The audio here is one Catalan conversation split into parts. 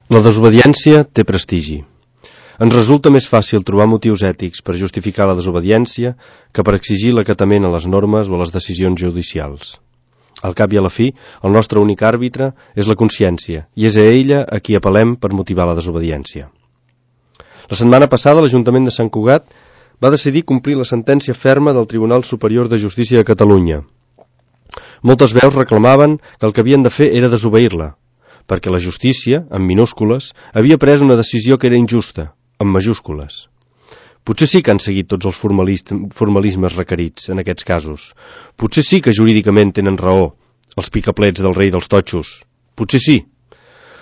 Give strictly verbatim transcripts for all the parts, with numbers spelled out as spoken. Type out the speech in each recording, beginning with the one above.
La desobediència té prestigi. Ens resulta més fàcil trobar motius ètics per justificar la desobediència que per exigir l'acatament a les normes o a les decisions judicials. Al cap i a la fi, el nostre únic àrbitre és la consciència, i és a ella a qui apel·lem per motivar la desobediència. La setmana passada l'Ajuntament de Sant Cugat va decidir complir la sentència ferma del Tribunal Superior de Justícia de Catalunya. Moltes veus reclamaven que el que havien de fer era desobeir-la, perquè la justícia, en minúscules, havia pres una decisió que era injusta, en majúscules. Potser sí que han seguit tots els formalismes requerits en aquests casos. Potser sí que jurídicament tenen raó els picaplets del rei dels totxos. Potser sí.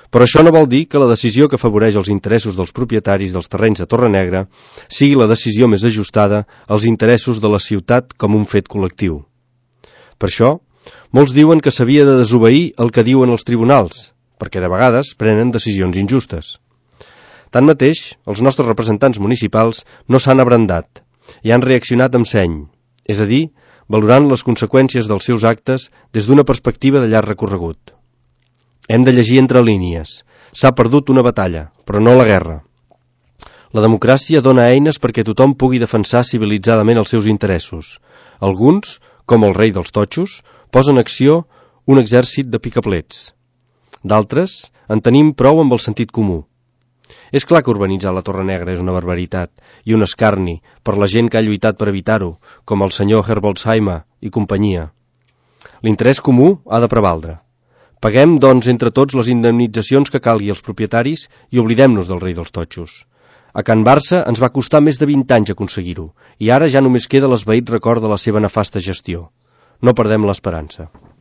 Però això no vol dir que la decisió que afavoreix els interessos dels propietaris dels terrenys de Torrenegra sigui la decisió més ajustada als interessos de la ciutat com un fet col·lectiu. Per això, molts diuen que s'havia de desobeir el que diuen els tribunals, perquè de vegades prenen decisions injustes. Tanmateix, els nostres representants municipals no s'han abrandat i han reaccionat amb seny, és a dir, valorant les conseqüències dels seus actes des d'una perspectiva de llarg recorregut. Hem de llegir entre línies. S'ha perdut una batalla, però no la guerra. La democràcia dona eines perquè tothom pugui defensar civilitzadament els seus interessos. Alguns, com el rei dels totxos, posen en acció un exèrcit de picaplets. D'altres, en tenim prou amb el sentit comú. És clar que urbanitzar la Torrenegra és una barbaritat i un escarni per la gent que ha lluitat per evitar-ho, com el senyor Herbolzheimer i companyia. L'interès comú ha de prevaldre. Paguem, doncs, entre tots les indemnitzacions que calgui als propietaris i oblidem-nos del rei dels totxos. A Can Barça ens va costar més de vint anys aconseguir-ho i ara ja només queda l'esvaït record de la seva nefasta gestió. No perdem l'esperança.